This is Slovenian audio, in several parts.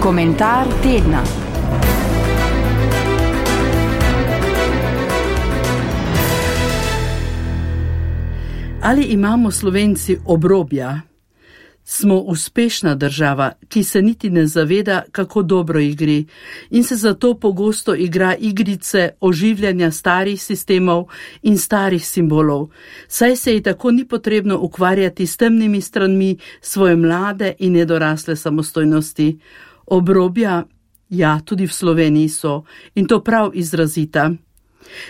Komentar tedna. Ali imamo Slovenci obrobja? Smo uspešna država, ki se niti ne zaveda, kako dobro ji gre, in se zato pogosto igra igrice oživljanja starih sistemov in starih simbolov, saj se ji tako ni potrebno ukvarjati s temnimi stranmi svoje mlade in nedorasle samostojnosti. Obrobja, ja, tudi v Sloveniji so, in to prav izrazita.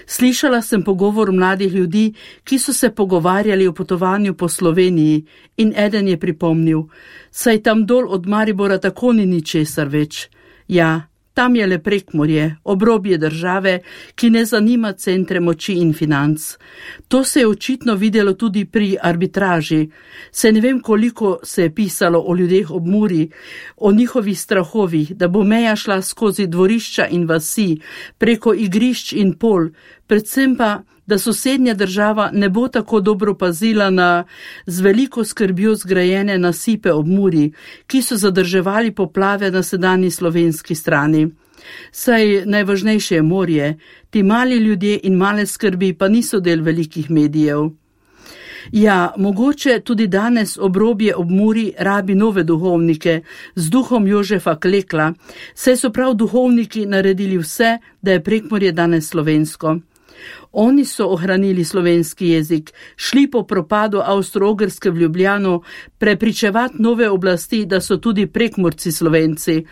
Slišala sem pogovor mladih ljudi, ki so se pogovarjali o potovanju po Sloveniji, in eden je pripomnil, saj tam dol od Maribora tako ni ničesar več. Ja, tam je le Prekmurje, obrobje države, ki ne zanima centre moči in financ. To se je očitno videlo tudi pri arbitraži. Se ne vem, koliko se je pisalo o ljudeh ob Muri, o njihovih strahovih, da bo meja šla skozi dvorišča in vasi, preko igrišč in pol, predvsem pa, da sosednja država ne bo tako dobro pazila na z veliko skrbjo zgrajene nasipe ob Muri, ki so zadrževali poplave na sedanji slovenski strani. Saj najvažnejše je morje, ti mali ljudje in male skrbi pa niso del velikih medijev. Ja, mogoče tudi danes obrobje ob Muri rabi nove duhovnike z duhom Jožefa Klekla, saj so prav duhovniki naredili vse, da je Prekmurje danes slovensko. Oni so ohranili slovenski jezik, šli po propadu Avstro-Ogrske v Ljubljano prepričevati nove oblasti, da so tudi Prekmurci Slovenci.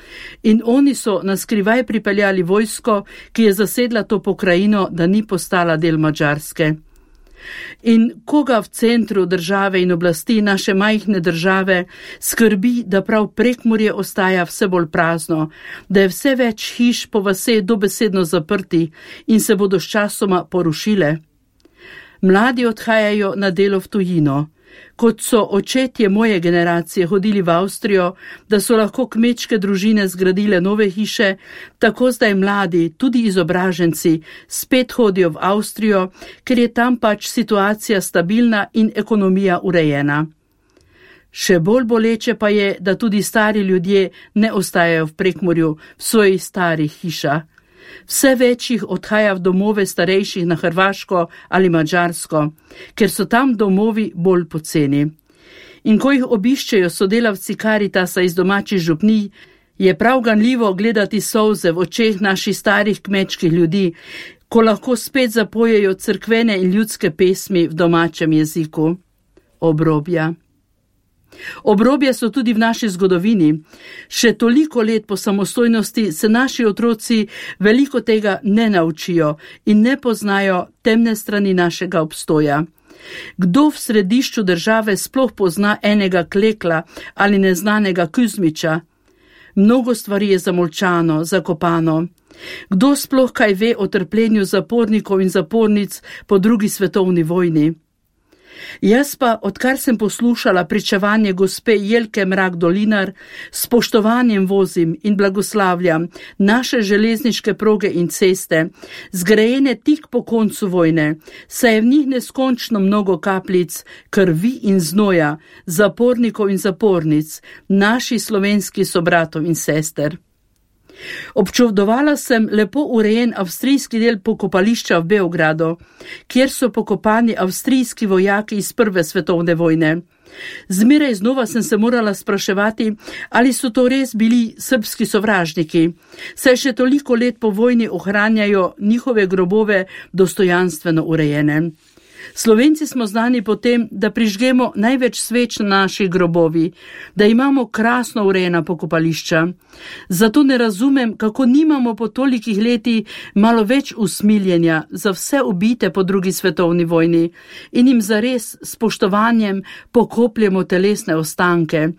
In oni so naskrivaj pripeljali vojsko, ki je zasedla to pokrajino, da ni postala del Madžarske. In koga v centru države in oblasti naše majhne države skrbi, da prav Prekmurje ostaja vse bolj prazno, da je vse več hiš po vase dobesedno zaprti in se bodo sčasoma porušile? Mladi odhajajo na delo v tujino. Kot so očetje moje generacije hodili v Avstrijo, da so lahko kmečke družine zgradile nove hiše, tako zdaj mladi, tudi izobraženci, spet hodijo v Avstrijo, ker je tam pač situacija stabilna in ekonomija urejena. Še bolj boleče pa je, da tudi stari ljudje ne ostajajo v Prekmurju, v svojih starih hišah. Vse več jih odhaja v domove starejših na Hrvaško ali Madžarsko, ker so tam domovi bolj poceni. In ko jih obiščejo sodelavci Karitasa iz domačih župnij, je prav ganljivo gledati solze v očeh naših starih kmečkih ljudi, ko lahko spet zapojejo cerkvene in ljudske pesmi v domačem jeziku. Obrobja. Obrobja so tudi v naši zgodovini. Še toliko let po samostojnosti se naši otroci veliko tega ne naučijo in ne poznajo temne strani našega obstoja. Kdo v središču države sploh pozna enega Klekla ali neznanega Kuzmiča? Mnogo stvari je zamolčano, zakopano. Kdo sploh kaj ve o trpljenju zapornikov in zapornic po drugi svetovni vojni? Jaz pa, odkar sem poslušala pričevanje gospe Jelke Mrak-Dolinar, s spoštovanjem vozim in blagoslavljam naše železniške proge in ceste, zgrajene tik po koncu vojne, saj je v njih neskončno mnogo kapljic krvi in znoja, zapornikov in zapornic, naših slovenskih sobratov in sester. Občudovala sem lepo urejen avstrijski del pokopališča v Beogradu, kjer so pokopani avstrijski vojaki iz Prve svetovne vojne. Zmeraj znova sem se morala spraševati, ali so to res bili srbski sovražniki, saj še toliko let po vojni ohranjajo njihove grobove dostojanstveno urejene. Slovenci smo znani po tem, da prižgemo največ sveč na naših grobovi, da imamo krasno urejena pokopališča. Zato ne razumem, kako nimamo po tolikih letih malo več usmiljenja za vse ubite po drugi svetovni vojni in jim zares spoštovanjem pokopljemo telesne ostanke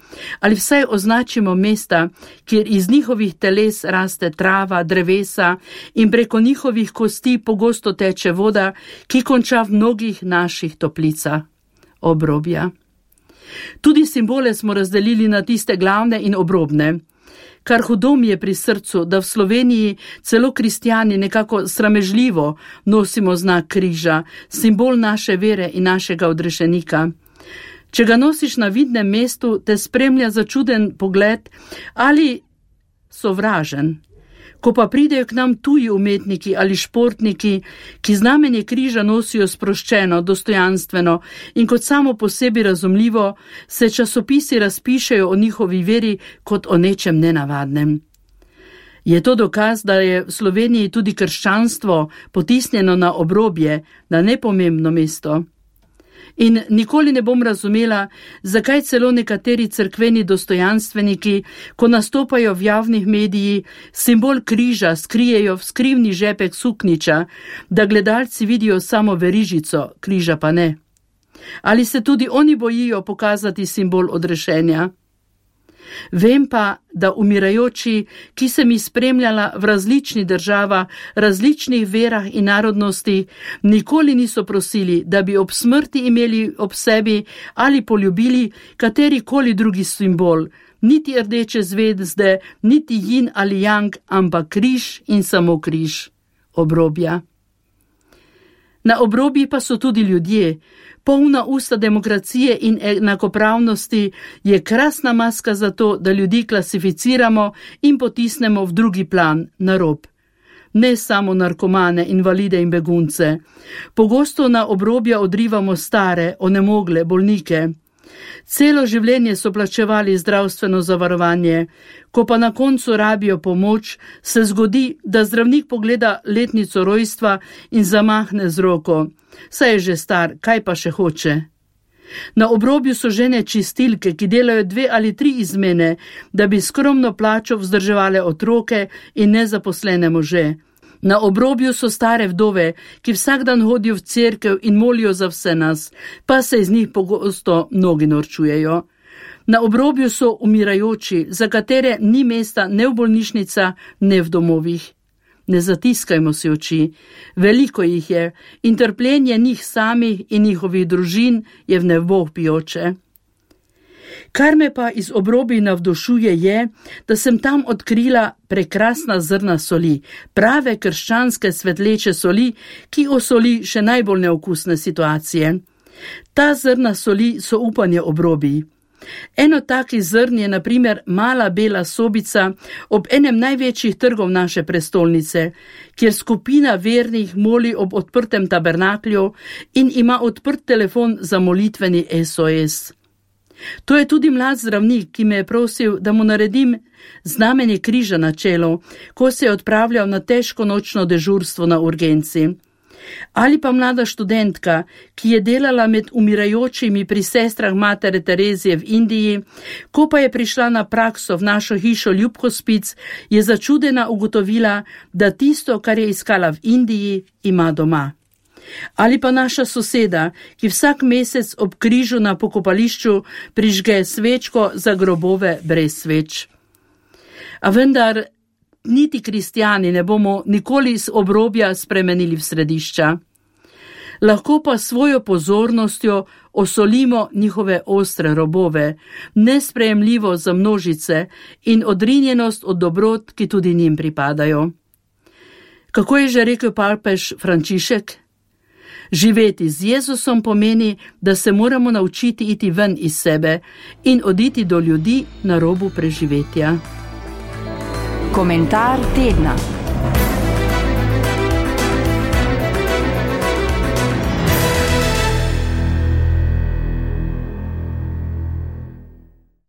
ali vsaj označimo mesta, kjer iz njihovih teles raste trava, drevesa in preko njihovih kosti pogosto teče voda, ki konča v mnogih naših toplicah. Obrobja. Tudi simbole smo razdelili na tiste glavne in obrobne. Kar hudo mi je pri srcu, da v Sloveniji celo kristjani nekako sramežljivo nosimo znak križa, simbol naše vere in našega odrešenika. Če ga nosiš na vidnem mestu, te spremlja začuden pogled ali sovražen. Ko pa pridejo k nam tuji umetniki ali športniki, ki znamenje križa nosijo sproščeno, dostojanstveno in kot samo po sebi razumljivo, se časopisi razpišejo o njihovi veri kot o nečem nenavadnem. Je to dokaz, da je v Sloveniji tudi krščanstvo potisnjeno na obrobje, na nepomembno mesto? In nikoli ne bom razumela, zakaj celo nekateri cerkveni dostojanstveniki, ko nastopajo v javnih mediji, simbol križa skrijejo v skrivni žepek sukniča, da gledalci vidijo samo verižico, križa pa ne. Ali se tudi oni bojijo pokazati simbol odrešenja? Vem pa, da umirajoči, ki sem jih spremljala v različnih državah, različnih verah in narodnosti, nikoli niso prosili, da bi ob smrti imeli ob sebi ali poljubili katerikoli drugi simbol, niti rdeče zvezde, niti jin ali yang, ampak križ in samo križ, obrobja. Na obrobji pa so tudi ljudje. Polna usta demokracije in enakopravnosti je krasna maska za to, da ljudi klasificiramo in potisnemo v drugi plan, na rob. Ne samo narkomane, invalide in begunce. Pogosto na obrobja odrivamo stare, onemogle, bolnike. Celo življenje so plačevali zdravstveno zavarovanje. Ko pa na koncu rabijo pomoč, se zgodi, da zdravnik pogleda letnico rojstva in zamahne z roko. Saj je že star, kaj pa še hoče? Na obrobju so žene čistilke, ki delajo 2 ali 3 izmene, da bi skromno plačo vzdrževale otroke in nezaposlene može. Na obrobju so stare vdove, ki vsak dan hodijo v cerkev in molijo za vse nas, pa se iz njih pogosto mnogi norčujejo. Na obrobju so umirajoči, za katere ni mesta ne v bolnišnica, ne v domovih. Ne zatiskajmo si oči, veliko jih je in trpljenje njih samih in njihovih družin je v nebo vpijoče. Kar me pa iz obrobij navdušuje je, da sem tam odkrila prekrasna zrna soli, prave krščanske svetleče soli, ki osoli še najbolj neokusne situacije. Ta zrna soli so upanje obrobij. Eno takih zrn je na primer mala bela sobica ob enem največjih trgov naše prestolnice, kjer skupina vernih moli ob odprtem tabernaklju in ima odprt telefon za molitveni SOS. To je tudi mlad zdravnik, ki me je prosil, da mu naredim znamenje križa na čelu, ko se je odpravljal na težko nočno dežurstvo na urgenci. Ali pa mlada študentka, ki je delala med umirajočimi pri sestrah Matere Terezije v Indiji, ko pa je prišla na prakso v našo hišo Ljubkospic, je začudena ugotovila, da tisto, kar je iskala v Indiji, ima doma. Ali pa naša soseda, ki vsak mesec ob križu na pokopališču prižge svečko za grobove brez sveč. A vendar niti kristjani ne bomo nikoli iz obrobja spremenili v središča. Lahko pa svojo pozornostjo osolimo njihove ostre robove, nesprejemljivo za množice in odrinjenost od dobrot, ki tudi njim pripadajo. Kako je že rekel papež Frančišek? Živeti z Jezusom pomeni, da se moramo naučiti iti ven iz sebe in oditi do ljudi na robu preživetja. Komentar tedna.